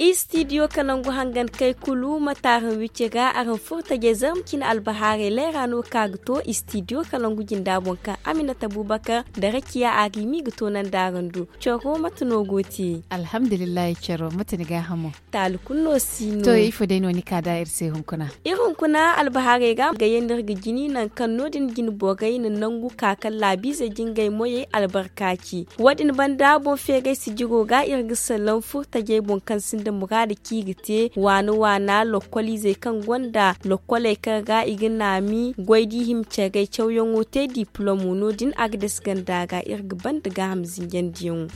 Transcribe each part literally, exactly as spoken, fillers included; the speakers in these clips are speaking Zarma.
Istidiyo kalangu hangan kay kulu ma taaran wicce ga araŋ furtajey zarma cine albahaarey leera no ka ga to istidiyo kalangu jinda boŋ kaŋ aminata bubakar da rakiya a ga i ma i ga toonandi araŋ do. Coro mate no go te? Alhamdulillahi coro mate ni gaahamo? Taali kulu no si no. To ifo day no ni ka da iri se hunkuna? Iri hunkuna albahaarey ga ga yandi iri ga jini nangu kaŋ no- din jine borey na nangu ka kaŋ laabiizey jingay moyey albarka ci. Wo- din banda boŋ feeray sijiro ga iri ga salaŋ furtajey boŋ kaŋ sinda muraada kaŋ i ga te waana waana lokkoliizey kaŋ gonda lokkoley kaŋ ra i ga naami goy da i hima caray cawyaŋo te diplomo no- din a ga dasa ganda ra iri ga banda gaaham zinjandiyaŋo.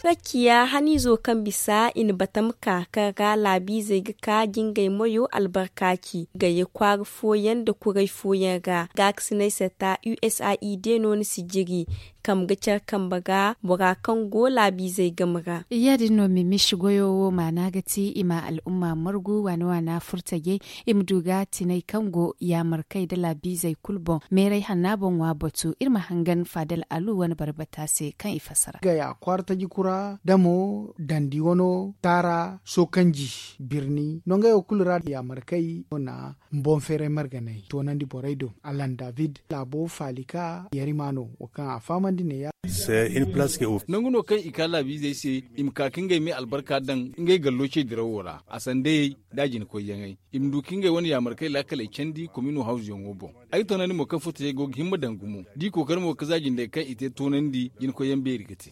Rakiya haniizo kaŋ bisa i na batam ka kaŋ ra laabiizey ga ka jingay moyo albarka ci gayey kwaara fooyaŋ nda kuray fooyaŋ ra gaakasinay sata usaid no ni si jiri kam ga care kambe ga bora kaŋ go laabiizey game ra. Ya- din no mimisi goyo wo maana ga ti i ma al'umma margu waana waana furtajey i ma du ga tinay kaŋ go yaamarkey nda laabiizey kulu boŋ meeray hanna boŋ ŋwa batu iri ma hangan faadal alu wane barbata se kaŋ i fassara. Gaya kwaara taji kura damo dandi wano taara sookanji birni nongey wo kulu ra yaamarkey no na boŋ feeray marganey toonandi borey do alan david laabo faalika yarima no wo kaŋ a fahamandi neeya. Nangu no kaŋ i ka laabiizey se i ma ka ka ngey me albarka daŋ ngey gallo ce dirawo ra a sandayey da a jina koyyaŋey i ma du ka ngey wane yaamarkey laakaley candi komino hawzuyaŋo boŋ. Ay ga toonandi mo kaŋ furtajey go ga himma daŋ gumo da i kookari mo ga za jindey kaŋ i te toonandi jina koyyaŋ beeri ga te.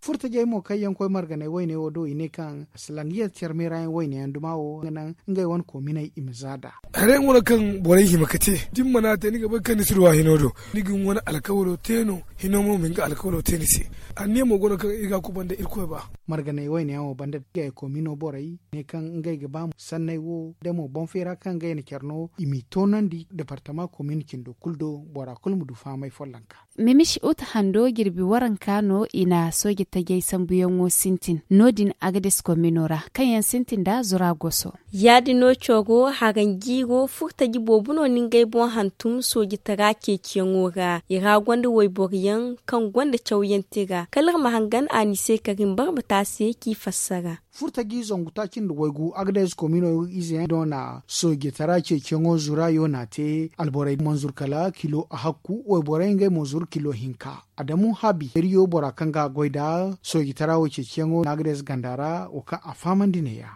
Furtajey mo kaŋ yaŋ koy marganey wayne wo do i ne kaŋ salaŋ yar care meera yaŋ wayne yaŋ duma wo ga naŋ ngey wane koominey i ma za nd'a. Haray yaŋ wane kaŋ borey hima ga te da ni mana te ni ga bay kaŋ ni si duw'a hino do ni ga ni wane alkawalo te no. Hino mo ma ni ga alkawalo te ni se. Anniya mo go no kaŋ iri ga a kubanda irkoy ba. Marganey wayne yaŋo banda gaya koomino borey ne kaŋ ngey ga ba sanney wo da mo boŋ feera kaŋ ngey na care no i m'i toonandi departama koomin cindo kulu do bora kulu ma du fahamay follonka. Mimish uta hando jirbi waranka no i na sooje tajey sambuyaŋo sintin no- din agades komino ra kaŋ yaŋ sintin nda zura goso. Ya- din no coro haranjiiro furtaji boobo no na ngey boŋ hantum soojitara ceeciyaŋo ra i ra gonda wayboro yaŋ kaŋ gonda cawyaŋ tira kala iri ma hangan a ni se karim barbata se k'i fassara. Furtaji zangu taaci nda waygu agades komino ize yaŋ no na soojitara ceeciyaŋo zura yo na te alborey manzur kala kilo a hakku wayborey ngey mo zuru kilo hinka. Adamu habi iriyo bora kaŋ ga a goy nda soojitara wo ceeciyaŋo na agades ganda ra wo kaŋ a fahamandi neeya.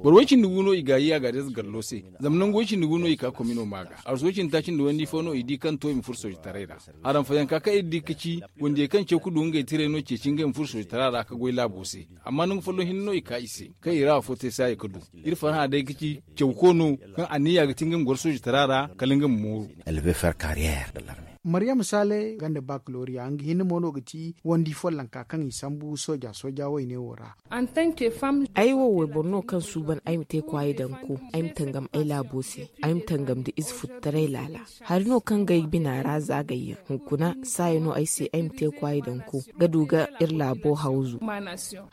Boro way cindi gu no i ga a yi a ga a deeza gallo se. Zama nangu way cindi gu no i ka komino ma ga arsu way cindi taaci nda wandi fo no i di kaŋ to i ma furo soojitaray ra. Haram fayanka kaŋ iri di ga ci wandiyey kaŋ caw ga du ngey tiray no ceeci ngey ma furo soojitara ra ga goy laabo se. Amma nangu folloŋ hinne no i ka i se kaŋ i ra afo te saaya ga du. Iri farhã day ga ci cawko no kaŋ anniya ga ti ngey ma goro soojitara ra kala ngey ma mooru. Maryam sale ganda bakaloriya nga hinne mo no ga ti wandi follonka kaŋ i sambu sooja sooja wayne wo ra. Ay wo wayboro no kaŋ suuban ay ma te kwaayi daŋ ko ay ma tangam ay laabo se. Ay ma tangam nda ize futtaray laala. Hari no kaŋ ga ay bina ra zaagayyaŋ hunkuna saaya no ay se ay ma te kwaayi daŋ ko ga du ga iri laabo hawzu.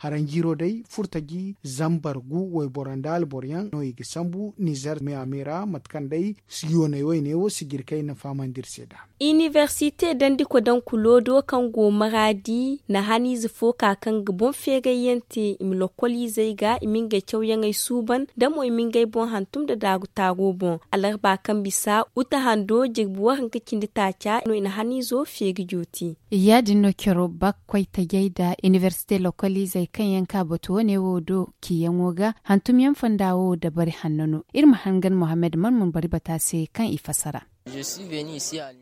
Haranjiiro day furtaji zambar gu wayboro nda alboro yaŋ no i ga sambu nizer me a me ra mate kaŋ day yoonay wayne wo sijiri kaŋ ay na fahamandi iri se nd'a. Inibersite dandi kodankulo do kaŋ go maraadi na haniize fo ka kaŋ ga boŋ feerayyaŋ te i ma lokkoliizey ga i ma ngey cawyaŋey suuban da mo i ma ngey boŋ hantum nda daaru taaro boŋ. Alarba kaŋ bisa uta hando jirbi waranka cindi taaca no i na haniizo feeri jooti. Ya- din no coro bak koy tajey nda inibersite lokkoliizey kaŋ yaŋ ka batu wane wo do ciyaŋo ga hantumyaŋ fonda wo dabari hanno no. Iri ma hangan mohammed man mun bari bata se kaŋ i fassara.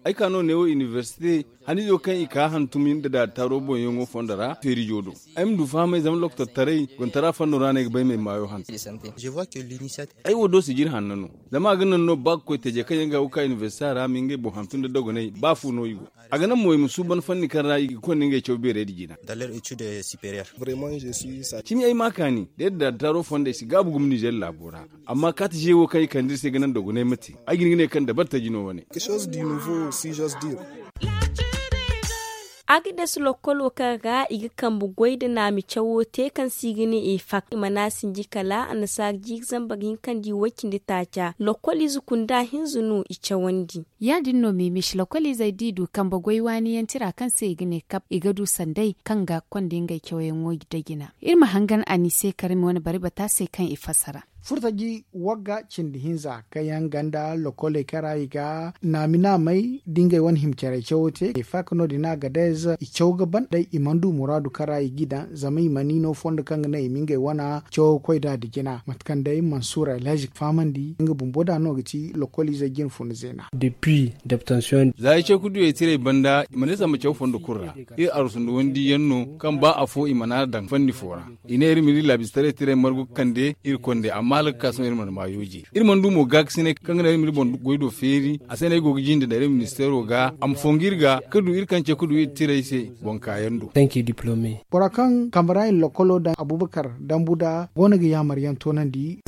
Ay ka no neewo inibersite haniizo kaŋ i ka hantum nda daari taaro boŋyaŋo fondo ra feerijo do. Ay ma du fahamay zama lokotortaray gontara fondo ra no ay ga bay m'ay maayo hantum. Ay wo do sijiri hanno no. Zama a ga naŋ no ba ga koy taje kaŋ yaŋ ga ga ka inibersita ra ma ngey boŋ hantum nda dogonay ba fu no i go. A ga naŋ mo i ma suuban fanni kaŋ ra i ga konda ngey caw beerey da jina. Cimi ay ma kaani da yadda daari taaro fondey si gaabu gumo nizer laabo ra. Amma kaati ze wo kaŋ i kande iri se ga naŋ dogonay ma te ay ga hin ga ne kaŋ dabartaji no wane. Agades lokkolo kaŋ ra i ga kambe goy nda naami cawo te kaŋ se i ga ne efak i mana sinji kala annasaara jiiri zambar hinka nda i way-cindi taaca lokkoliize kunda hinza no i cawandi. Ya- din no mimis lokkoliizey da i du kambe goy waani yaŋ tira kaŋ se i ga ne kap i ga du sanday kaŋ ga konda ngey cawyaŋo da jina. Iri ma hangan a ni se karmi wane bari bata se kaŋ i fassara. Furtaji wagga cindi hinza kaŋ yaŋ ganda lokkoley kaŋ ra i ga naami naamey da ngey wane hima care cawo te efak no- din a ga day za i caw ga ban day i mana du muraadu kaŋ ra i g'i daŋ zama i mana i no fondo kaŋ ga naŋ i ma ngey wane cawo koy nd'a nda jina mate kaŋ day mansuura alhazi ga fahamandi nga bumbo nd'a no ga ti lokkoliizey jine funa zeena. Za ay caw ga du ay tirey banda i mana ay samba caw fondo kulu ra. Iri arwasu nda wandiyaŋ no kaŋ ba afo i mana a daŋ fanni fo ra. I ne iri ma iri laabistaray tirey margu ga kande iri konde amma hala ga ka sohõ iri mana maayo je. Iri mana du mo gaakasinay kaŋ ga naŋ iri ma iri boŋ goy do feeri a se no ay go ga jinde nda iri ministeero ga a ma fongu iri ga ka du iri kaŋ ce ka du iri tirey se boŋ kaayaŋ do. Bora kaŋ kambe ra i na lokkolo daŋ abubakar dambu nd'a go no ga yaamar yaŋ toonandi.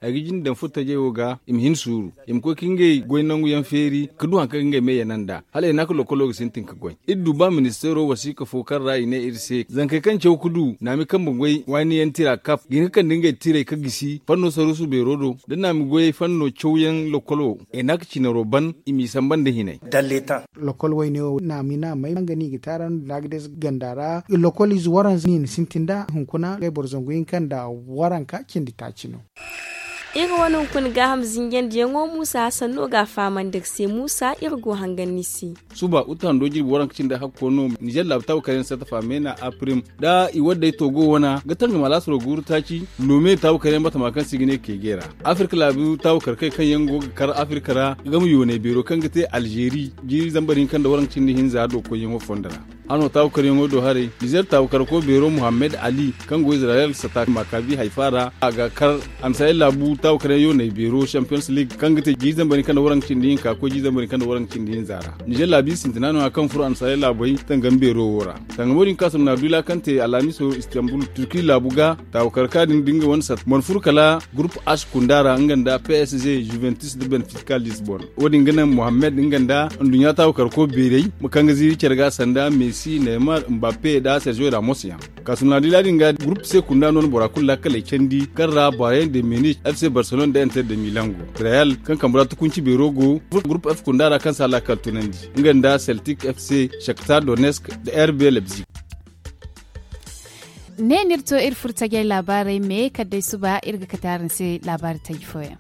Ay ga jinde daŋ furtajey wo ga i ma hin suuru i ma koy ka ngey goy nangu yaŋ feeri ka du hari kaŋ ga ngey me yana nd'a. Hala i na ka lokkolo ga sintin ka goy iri du ba ministeero wasiika fo kaŋ ra i ne iri se zankey kaŋ caw ga du naami kambe goy waani yaŋ tira kap ga hin ka kande ngey tirey ka gisi fanno saruusu beero do da naami goyey fanno cawyaŋ lokkolo i na ka cinaro ban i m'i samba nda hinay. Lokkol wayne wo naami naamey kaŋ ga no i ga taarandi nda a ga deesa ganda ra lokkoliize waranza no i na sintin nd'a hunkuna ngey boro zangu hinka nda waranka cindi taaci no. Iri wane hunkuna gaaham zinjandiyaŋo muusa hasan no ga a fahamandi iri se muusa iri go hangan ni se. Suba uta hando jirbi waranka cindi hakko no nizer laabu taabu kar yaŋ sartafa meena apirim da i wadday toogo wana ga tangam alaasaro guuru taaci loome taabu kar yaŋ batama kaŋ se i ga ne keege ra. Afirka laabu taabu kar kay kaŋ yaŋ go ga kar afirka ra game yoonay beero kaŋ ga te alzeeri jiiri zambar hinka nda waranka cindi hinza do koyyaŋo fondo ra. Hano taabu karyaŋo do haray nizer taabu karko beero muhammed ali kaŋ go izirayel sata makabi hayfa ra a ga kar annasaray laabu taabu karyaŋ yoonay beero champions league kaŋ ga te jiiri zambar hinka nda waranka cindi hinka koy jiiri zambar hinka nda waranka cindi hinza ra. Nizer laabu i sintina no- ya kaŋ furo annasaray laabey tangam beero wo ra. Tangamo din kaŋ a sumna dula kaŋ te alhamiso istanbul turki laabu ga taabu karka din da nga wane sata mana furo kala gurup h kunda ra nga nda psg juventus nda benfica lisbon. Wo- din ga naŋ muhammed nga nda nduɲɲa taabu karko beerey ma kaŋ ga ziiri care ga sanda messi neymar mbappe nda sergio ramos yaŋ. Kaasumna dila din ga gurup se kunda no na bora kulu laakaley candi kaŋ ra bayern de munich fc barcelona nda inter de milan go. Real kaŋ kambe ra tukunci beero go gurup f kunda ra kaŋ si a laakal tunandi nga nda celtic fc shakhtar donetsk nda rb leipzig. Ne no iri to iri furo tajey laabaarey me kala day suba iri ga kate araŋ se laabaari taji fooyaŋ.